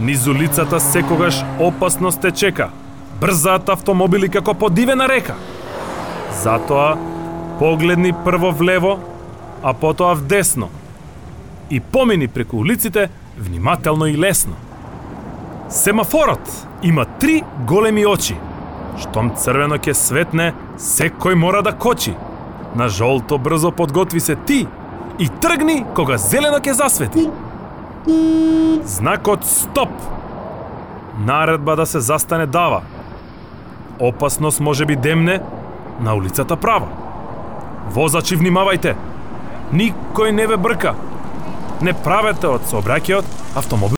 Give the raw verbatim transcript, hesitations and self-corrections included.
Низ улицата секогаш опасност те чека. Брзаат автомобили како подивена река. Затоа погледни прво влево, а потоа вдесно. И помини преку улиците внимателно и лесно. Семафорот има три големи очи. Штом црвено ќе светне, секој мора да кочи. На жолто брзо подготви се ти и тргни кога зелено ќе засвети. Знакот стоп. Наредба да се застане дава. Опасност може би демне на улицата права. Возачи, внимавајте. Никој не ве брка. Не правете од сообраќајот автомобил